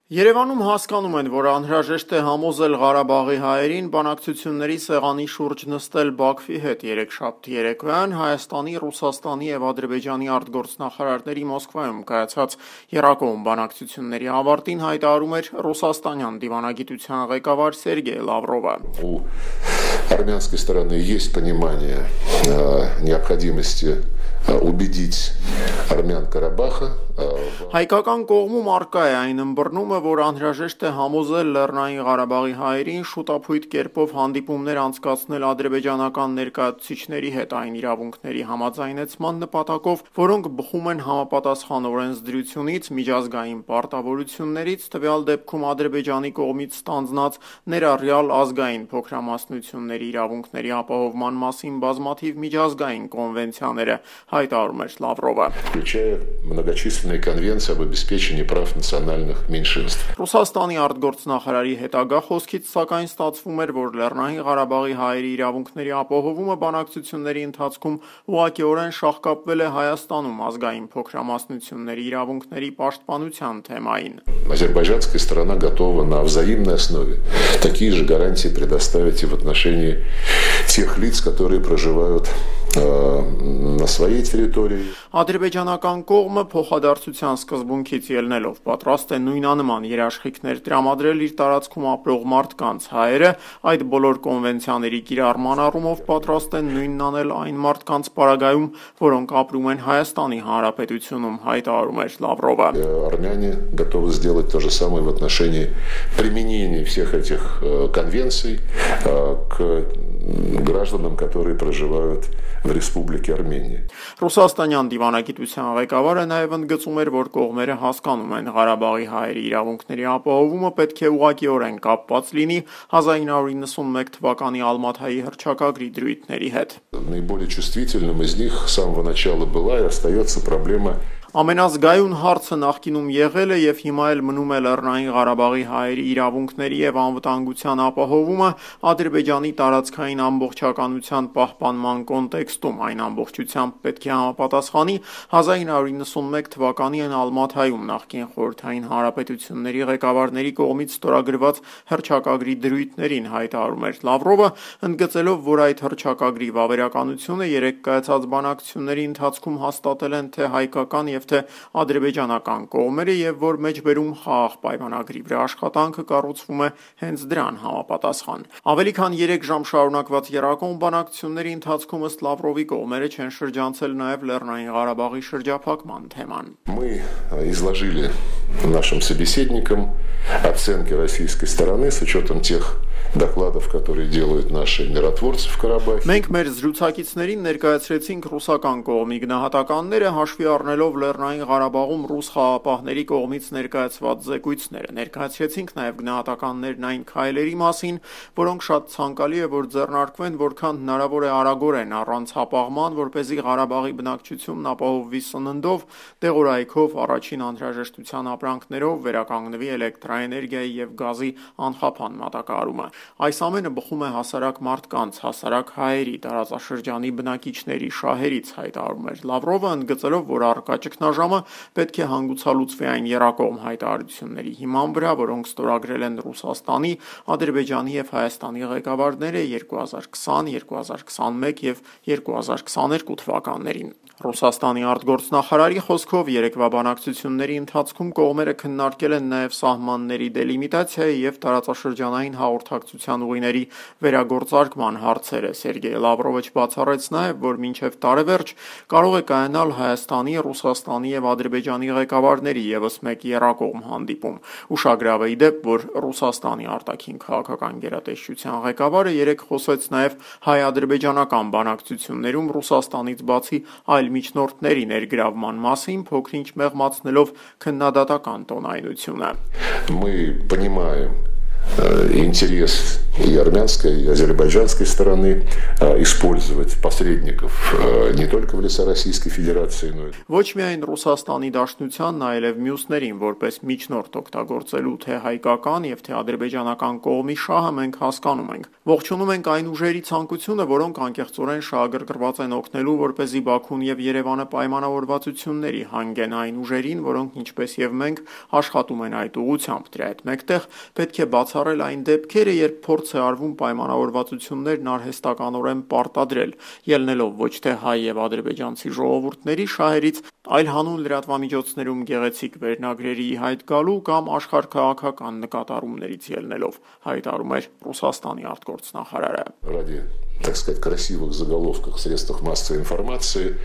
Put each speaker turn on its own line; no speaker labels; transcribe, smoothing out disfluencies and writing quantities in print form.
Երևանում հասկանում են, որ անհրաժեշտ է համոզել Ղարաբաղի հայերին բանակցությունների սեղանի շուրջ նստել Բաքվի հետ երեքշաբթի երեկոյան Հայաստանի, Ռուսաստանի և Ադրբեջանի արտգործնախարարների Մոսկվայում կայացած եռակողմ բանակցությունների ավարտին հայտարարում էր ռուսաստանյան դիվանագիտության ղեկավար Սերգեյ Լավրովը։
У армянской стороны есть понимание необходимости убедить армян Карабаха.
Հայկական կողմում առկա է այն ըմբռնումը, որ անհրաժեշտ է համոզել Լեռնային Ղարաբաղի հայերին շուտափույթ կերպով հանդիպումներ անցկացնել ադրբեջանական ներկայացուցիչների հետ այն իրավունքների համաձայնեցման նպատակով, որոնք բխում են համապատասխան օրենսդրությունից, միջազգային պարտավորություններից, տվյալ դեպքում Ադրբեջանի կողմից ստանձնած ներառյալ ազգային փոքրամասնությունների իրավունքների ապահովման մասին բազմաթիվ միջազգային կոնվենցիաները, հայտարարում էր Լավրովը։
Включая многочисленные конвенции об обеспечении прав национальных меньшинств.
Ռուսաստանի արտգործնախարարի հետագա խոսքից սակայն ստացվում էր, որ Լեռնային Ղարաբաղի հայերի իրավունքների ապահովումը բանակցությունների ընթացքում ուղղակիորեն շահկապվել է Հայաստանում ազգային փոքրամասնությունների իրավունքների պաշտպանության թեմային։
Азербайджанская сторона готова на взаимной основе такие же гарантии предоставить и в отношении тех лиц, которые проживают на своей территории.
Ադրբեջանական կողմը փոխադարձության սկզբունքից ելնելով պատրաստ է նույնանման երաշխիքներ տրամադրել իր տարածքում ապրող մարդկանց հայերը, այդ բոլոր կոնվենցիաների կիրառման առումով պատրաստ են նույնն անել այն մարդկանց պարագայում, որոնք ապրում են Հայաստանի Հանրապետությունում, հայտարարում էր Լավրովը։
Армяне готовы сделать то же самое в отношении применения всех этих конвенций к гражданам, которые проживают в Республике Армения.
Ռուսաստանյան դիվանագիտության ղեկավարը նաև ընդգծում էր, որ կողմերը հասկանում են Ղարաբաղի հայերի իրավունքների ապահովումը պետք է ուղղակիորեն կապված լինի 1991 թվականի Ալմաթայի հռչակագրի դրույթների հետ։
Наиболее чувствительным из них с самого начала была и остается проблема.
Ամենազգայուն հարցը նախկինում եղել է և հիմա էլ մնում է Լեռնային Ղարաբաղի հայերի իրավունքների և անվտանգության ապահովումը Ադրբեջանի տարածքային ամբողջականության պահպանման կոնտեքստում, այն ամբողջությամբ պետք է համապատասխանի 1991 թվականին Ալմաթայում նախկին խորհրդային հանրապետությունների ղեկավարների կողմից ստորագրված հռչակագրի դրույթներին, հայտարարում էր Լավրովը, ընդգծելով, որ այդ հռչակագրի վավերականությունը երեկ կայացած բանակցությունների ընթացքում հաստատել են թե հայկական և թե ադրբեջանական կողմերը և որ մեջբերում խաղաղ պայմանագրի վրա աշխատանքը կառուցվում է հենց դրան համապատասխան։ Ավելի քան 3 ժամ շարունակված եռակողմ բանակցությունների ընթացքում ըստ Լավրովի կողմերը չեն շրջանցել նաև Լեռնային Ղարաբաղի շրջափակման թեման։
Мы изложили нашим собеседникам оценки российской стороны с учетом тех докладов, которые делают наши миротворцы в Карабахе.
Մենք մեր զրուցակիցներին ներկայացրեցինք ռուսական կողմի գնահատականները, հաշվի առնելով Լեռնային Ղարաբաղում ռուս խաղաղապահների կողմից ներկայացված զեկույցները։ Ներկայացրեցինք նաև գնահատականներն այն քայլերի մասին, որոնք շատ ցանկալի է, որ ձեռնարկվեն, որքան հնարավոր է արագորեն առանց հապաղման, որպեսզի Ղարաբաղի բնակչությունն ապահովվի սննդով, դեղորայքով, առաջին անհրաժեշտության ապրանքներով, վերականգնվի էլեկտրաէներգիայի և գազի անխափան մատակարարումը։ Այս ամենը բխում է հասարակ մարդկանց, հասարակ հայերի, տարածաշրջանի բնակիչների շահերից, հայտարարում էր Լավրովը, ընդգծելով, որ առկա ճգնաժամը պետք է հանգուցալուծվի այն եռակողմ հայտարարությունների հիման վրա, որոնք ստորագրել են Ռուսաստանի, Ադրբեջանի և Հայաստանի ղեկավարները 2020, 2021 և 2022 թվականներին։ Ռուսաստանի արտգործնախարարի խոսքով երեկվա բանակցությունների ընթացքում կողմերը քննարկել են նաև սահմանների դելիմիտացիայի և տարածաշրջանային հաղորդակցության ուղիների վերագործարկման հարցերը։ Սերգեյ Լավրովը չբացառեց նաև, որ մինչև տարեվերջ կարող է կայանալ Հայաստանի, Ռուսաստանի և Ադրբեջանի ղեկավարների ևս մեկ եռակողմ հանդիպում։ Ուշագրավ է ի դեպ, որ Ռուսաստանի արտաքին քաղաքական գերատեսչության ղեկավարը երեկ խոսեց նաև հայ-ադրբեջանական բանակցություններում Ռուսաստանից բացի այլ միջնորդների ներգրավման մասին, փոքր-ինչ մեղմացնելով քննադատական տոնայնությունը։
Мы понимаем интерес и армянской, и азербайджанской стороны использовать посредников не только в леса Российской Федерации, но и...
Ոչ միայն Ռուսաստանի Դաշնությանն, այլև մյուսներին որպես միջնորդ օգտագործելու թե հայկական եւ թե ադրբեջանական կողմի շահը մենք հասկանում ենք։ Ողջունում ենք այն ուժերի ցանկությունը, որոնք անկեղծորեն շահագրգռված են օգնելու, որպեսզի Բաքուն եւ Երևանը պայմանավորվածությունների հանգեն այն ուժերին, որոնք ինչպես եւ մենք աշխատում են այդ ուղղությամբ։ Դրա հետ մեկտեղ պետք է բացառել այն դեպքերը, երբ փորձ է արվում պայմանավորվածություններն արհեստականորեն պարտադրել, ելնելով ոչ թե հայ եւ ադրբեջանցի ժողովուրդների շահերից, այլ հանուն լրատվամիջոցներում գեղեցիկ վերնագրերի հայտ գալու կամ աշխարհքաղաքական նկատառումներից ելնելով, հայտարարում էր Ռուսաստանի արտգործնախարարը։
Ради, так сказать, красивых заголовков в средствах массовой информации